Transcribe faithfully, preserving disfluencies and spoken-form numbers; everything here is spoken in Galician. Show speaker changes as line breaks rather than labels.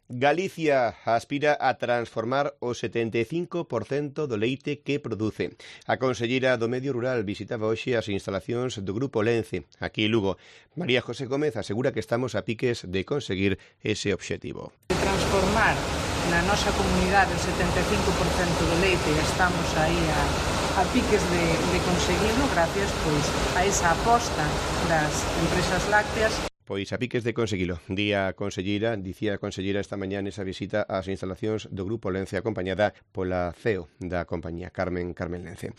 Galicia aspira a transformar o setenta e cinco por cento do leite que produce. A conselleira do Medio Rural visitaba hoxe as instalacións do Grupo Lence, aquí en Lugo. María José Gómez asegura que estamos a piques de conseguir ese obxectivo.
De transformar na nosa comunidade o setenta e cinco por cento do leite, estamos aí a, a piques de, de conseguirlo gracias pois, a esa aposta das empresas lácteas.
Pois a piques de conseguilo. Día a conselleira, dicía a conselleira esta mañá nesa visita ás instalacións do Grupo Lence acompañada pola C E O da compañía, Carmen Carmen Lence.